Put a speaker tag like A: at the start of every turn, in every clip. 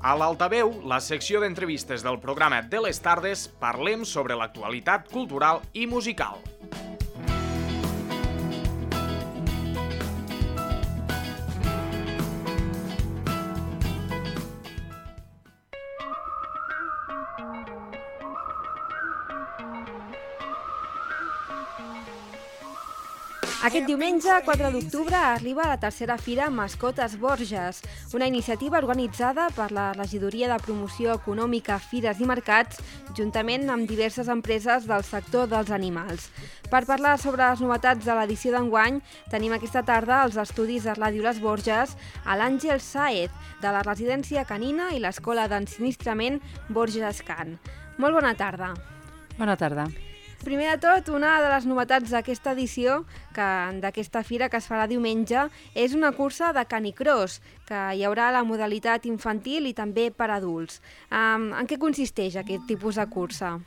A: A l'Altaveu, la secció d'entrevistes del programa de les tardes, parlem sobre l'actualitat cultural i musical.
B: Aquest diumenge, 4 d'octubre, arriba la tercera fira Mascotes Borges, una iniciativa organitzada per la Regidoria de Promoció Econòmica, Fires i Mercats, juntament amb diverses empreses del sector dels animals. Per parlar sobre les novetats de l'edició d'enguany, tenim aquesta tarda als estudis de Ràdio Les Borges a l'Àngel Sáez, de la residència canina i l'Escola d'Ensinistrament Borges Can. Molt bona tarda.
C: Bona tarda.
B: Primer de tot, una de les novetats d'aquesta edició, d'aquesta fira que es farà diumenge, és una cursa de canicross, que hi haurà la modalitat infantil i també per adults. En què consisteix aquest tipus de cursa?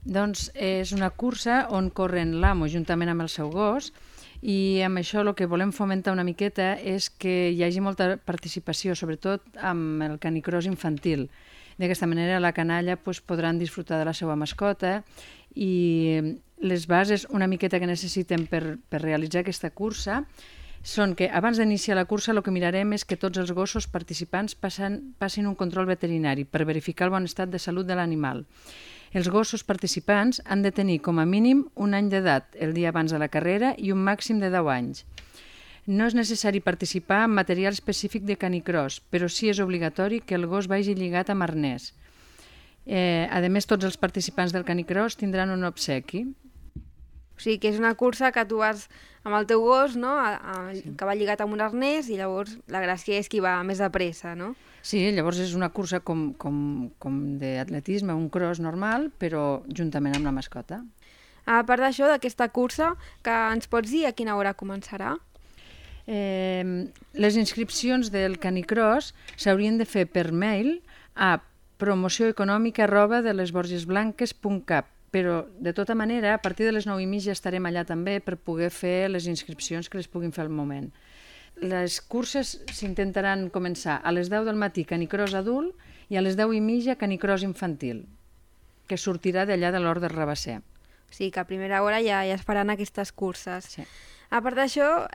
C: Doncs és una cursa on corren l'amo juntament amb el seu gos i amb això el que volem fomentar una miqueta és que hi hagi molta participació, sobretot amb el canicross infantil. D'aquesta manera la canalla podran disfrutar de la seva mascota i les bases una miqueta que necessiten per realitzar aquesta cursa són que abans d'iniciar la cursa el que mirarem és que tots els gossos participants passin un control veterinari per verificar el bon estat de salut de l'animal. Els gossos participants han de tenir com a mínim un any d'edat el dia abans de la carrera i un màxim de 10 anys. No és necessari participar en material específic de canicross, però sí és obligatori que el gos vagi lligat amb arnès. A més, tots els participants del canicross tindran un obsequi.
B: O sigui que és una cursa que tu vas amb el teu gos, no? Que va lligat amb un arnès i llavors la gràcia és qui va més de pressa, no?
C: Sí, llavors és una cursa com d'atletisme, un cross normal, però juntament amb la mascota.
B: A part d'això, d'aquesta cursa, que ens pots dir a quina hora començarà?
C: Les inscripcions del canicross s'haurien de fer per mail a promocioeconòmica@delesborgesblanques.cap, però de tota manera a partir de les 9:30 estarem allà també per poder fer les inscripcions que les puguin fer al moment. Les curses s'intentaran començar a les 10 del matí canicross adult i a les 10:30 canicross infantil, que sortirà d'allà de l'Hort del Rabasser.
B: O sigui que a primera hora ja es faran aquestes curses.
C: Sí.
B: A part d'això,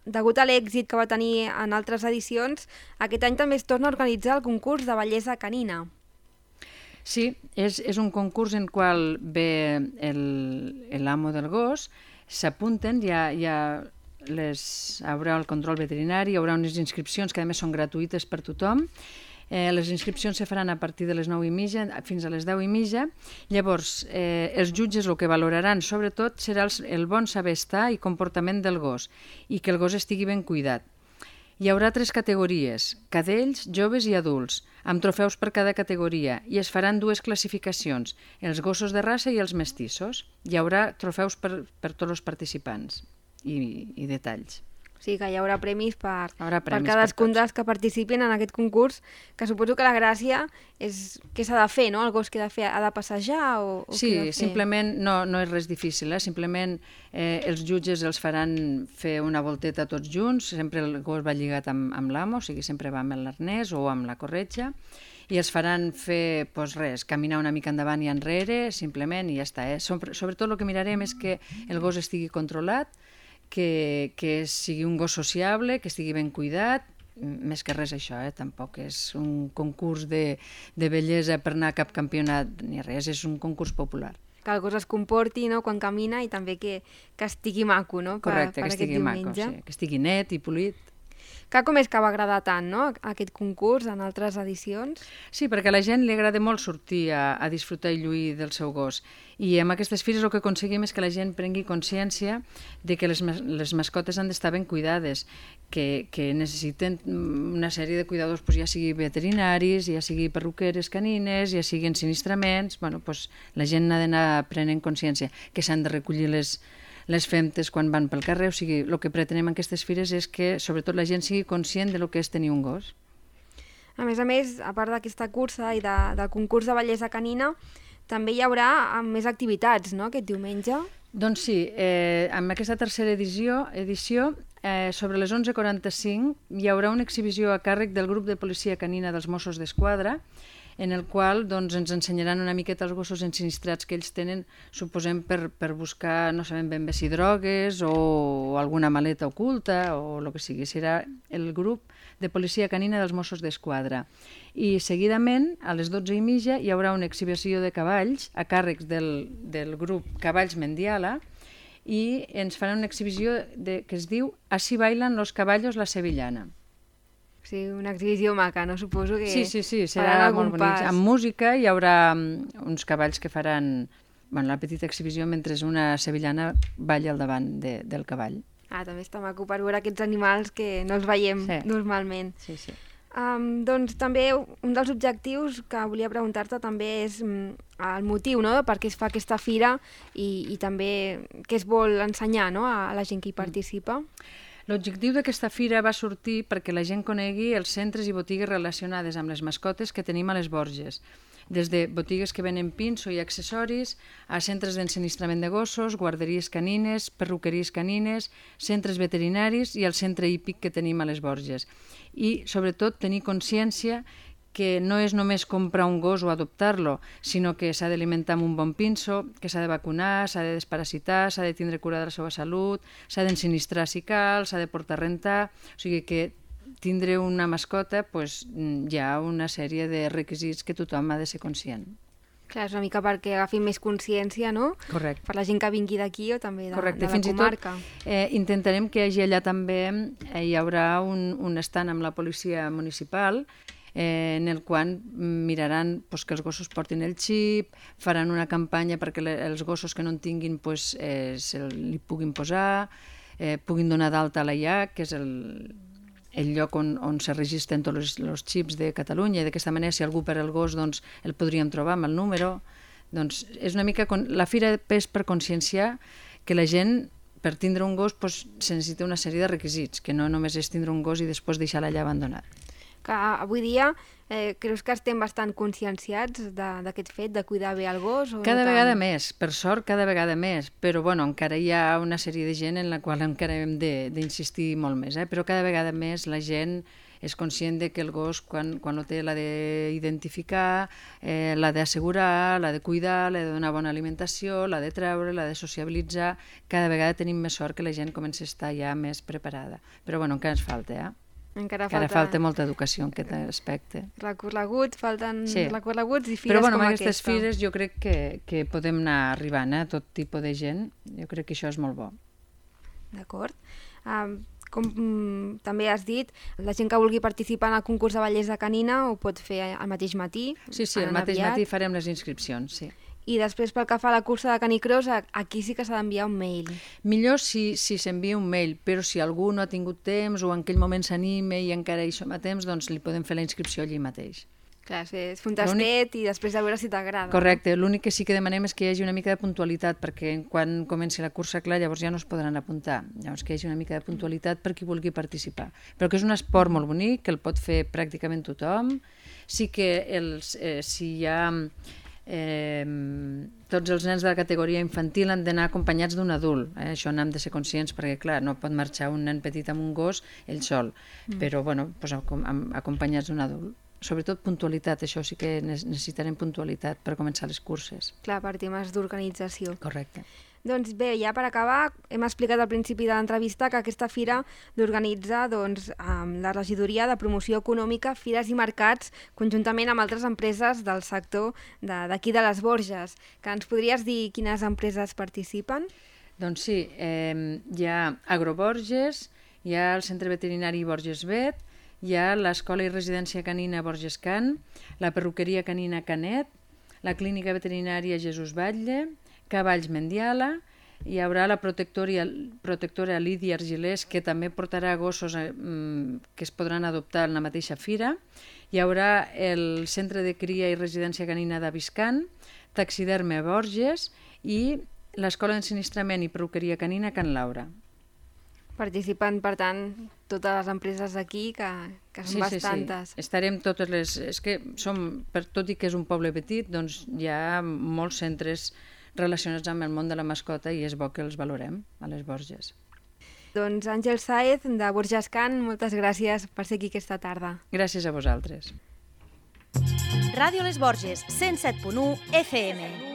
B: degut a l'èxit que va tenir en altres edicions, aquest any també es torna a organitzar el concurs de bellesa canina.
C: Sí, és un concurs en qual ve l'amo del gos, s'apunten, haurà el control veterinari, hi haurà unes inscripcions que a més són gratuïtes per tothom. Les inscripcions se faran a partir de les 9:30 fins a les 10:30. Llavors, els jutges el que valoraran sobretot serà el bon saber estar i comportament del gos i que el gos estigui ben cuidat. Hi haurà 3 categories, cadells, joves i adults, amb trofeus per cada categoria i es faran 2 classificacions, els gossos de raça i els mestissos. Hi haurà trofeus per tots els participants i detalls.
B: O sigui que hi haurà premis per
C: premis
B: cadascun dels que participin en aquest concurs, que suposo que la gràcia és què s'ha de fer, no? El gos que ha de passejar o
C: sí,
B: què ha de fer?
C: Simplement no és res difícil, simplement els jutges els faran fer una volteta tots junts, sempre el gos va lligat amb l'amo, o sigui, sempre va amb l'arnès o amb la corretja, i els faran fer, caminar una mica endavant i enrere, simplement, i ja està. Sobretot el que mirarem és que el gos estigui controlat, que sigui un gos sociable, que estigui ben cuidat, més que res això, tampoc és un concurs de bellesa per anar a cap campionat ni res, és un concurs popular.
B: Que el gos es comporti, no?, quan camina i també que estigui maco, no?
C: Correcte, que estigui maco, sí, que estigui net i polit.
B: Que com és que va agradar tant, no?, aquest concurs en altres edicions?
C: Sí, perquè a la gent li agrada molt sortir a disfrutar i lluir del seu gos. I amb aquestes fires el que aconseguim és que la gent prengui consciència de que les mascotes han d'estar ben cuidades, que necessiten una sèrie de cuidadors, ja sigui veterinaris, ja sigui perruqueres canines, ja sigui ensinistraments. La gent ha d'anar prenent consciència que s'han de recollir les femtes quan van pel carrer. O sigui, el que pretenem en aquestes fires és que sobretot la gent sigui conscient del que és tenir un gos.
B: A més, a part d'aquesta cursa i del concurs de bellesa canina, també hi haurà més activitats, no?, aquest diumenge.
C: Doncs sí, amb aquesta tercera edició sobre les 11:45 hi haurà una exhibició a càrrec del grup de policia canina dels Mossos d'Esquadra, en el qual doncs, ens ensenyaran una miqueta els gossos ensinistrats que ells tenen, suposem, per buscar, no sabem ben bé si drogues o alguna maleta oculta o el que sigui. Serà el grup de policia canina dels Mossos d'Esquadra. I seguidament, a les 12:30, hi haurà una exhibició de cavalls a càrrec del grup Cavalls Mendiala i ens faran una exhibició que es diu Así bailan los caballos la sevillana.
B: Sí, una exhibició maca, no? Suposo que
C: Sí, serà molt bonic. Amb música hi haurà uns cavalls que faran la petita exhibició mentre una sevillana balla al davant del cavall.
B: També està maco per veure aquests animals que no els veiem normalment.
C: Sí.
B: Doncs també un dels objectius que volia preguntar-te també és el motiu, no?, de per què es fa aquesta fira i també què es vol ensenyar, no?, a la gent que hi participa.
C: L'objectiu d'aquesta fira va sortir perquè la gent conegui els centres i botigues relacionades amb les mascotes que tenim a les Borges, des de botigues que venen pinso i accessoris, a centres d'ensinistrament de gossos, guarderies canines, perruqueries canines, centres veterinaris i el centre hípic que tenim a les Borges. I, sobretot, tenir consciència que no és només comprar un gos o adoptar-lo, sinó que s'ha d'alimentar amb un bon pinso, que s'ha de vacunar, s'ha de desparasitar, s'ha de tindre cura de la seva salut, s'ha d'ensinistrar si cal, s'ha de portar a rentar. O sigui que tindre una mascota hi ha una sèrie de requisits que tothom ha de ser conscient.
B: Clar, és una mica perquè agafin més consciència, no?
C: Correcte.
B: Per la gent que vingui d'aquí o també de la comarca.
C: Fins i tot intentarem que hi hagi allà també, hi haurà un stand amb la policia municipal en el qual miraran que els gossos portin el xip, faran una campanya perquè els gossos que no en tinguin li puguin posar, puguin donar d'alta a la IAC, que és el lloc on se registren tots els xips de Catalunya, i d'aquesta manera si algú perd el gos el podríem trobar amb el número. Doncs és una mica... La fira és per conscienciar que la gent, per tindre un gos, se necessita una sèrie de requisits, que no només és tindre un gos i després deixar-lo allà abandonat.
B: Que avui dia creus que estem bastant conscienciats d'aquest fet, de cuidar bé el gos?
C: Cada vegada més, per sort cada vegada més, però encara hi ha una sèrie de gent en la qual encara hem d'insistir molt més, però cada vegada més la gent és conscient de que el gos quan el té l'ha d'identificar, l'ha d'assegurar, l'ha de cuidar, l'ha de donar bona alimentació, l'ha de treure, l'ha de sociabilitzar. Cada vegada tenim més sort que la gent comença a estar ja més preparada. Però encara ens falta, Encara falta molta educació en aquest aspecte.
B: Falten recorreguts i fires com aquesta.
C: Però amb aquestes fires jo crec que podem anar arribant a tot tipus de gent. Jo crec que això és molt bo.
B: D'acord. Com també has dit, la gent que vulgui participar en el concurs de bellesa canina ho pot fer al mateix matí.
C: Sí, el mateix matí farem les inscripcions, sí.
B: I després, pel que fa a la cursa de canicross, aquí sí que s'ha d'enviar un mail.
C: Millor si s'envia un mail, però si algú no ha tingut temps o en aquell moment s'anima i encara hi som a temps, doncs li podem fer la inscripció allí mateix.
B: Clar, és fer un tastet i després de veure si t'agrada.
C: Correcte, l'únic que sí que demanem és que hi hagi una mica de puntualitat, perquè quan comenci la cursa, clar, llavors ja no es podran apuntar. Llavors que hi hagi una mica de puntualitat per qui vulgui participar. Però que és un esport molt bonic, que el pot fer pràcticament tothom. Sí que si hi ha... tots els nens de la categoria infantil han d'anar acompanyats d'un adult. Això n'hem de ser conscients perquè, clar, no pot marxar un nen petit amb un gos ell sol, però acompanyats d'un adult. Sobretot puntualitat, això sí que necessitarem puntualitat per començar les curses.
B: Clar, per temes d'organització.
C: Correcte.
B: Doncs bé, ja per acabar, hem explicat al principi de l'entrevista que aquesta fira l'organitza la Regidoria de Promoció Econòmica, Fires i Mercats, conjuntament amb altres empreses del sector d'aquí de les Borges. Que ens podries dir quines empreses participen?
C: Doncs sí, hi ha Agroborges, hi ha el Centre Veterinari Borges Vet, hi ha l'Escola i Residència Canina Borges Can, la Perruqueria Canina Canet, la Clínica Veterinària Jesús Batlle, Cavalls Mendiala, hi haurà la protectora Lídia Argilés, que també portarà gossos que es podran adoptar en la mateixa fira, hi haurà el Centre de Cria i Residència Canina d'Aviscan, Taxiderme Borges i l'Escola d'Ensinistrament i Perruqueria Canina Can Laura.
B: Participen, per tant, totes les empreses d'aquí, que són bastantes.
C: Sí. Estarem totes les... És que tot i que és un poble petit, doncs hi ha molts centres relacionats amb el món de la mascota i és bo que els valorem a les Borges.
B: Doncs Àngel Sáez, de Borges Can, moltes gràcies per ser aquí aquesta tarda.
C: Gràcies a vosaltres.
D: Ràdio Les Borges, 107.1 FM.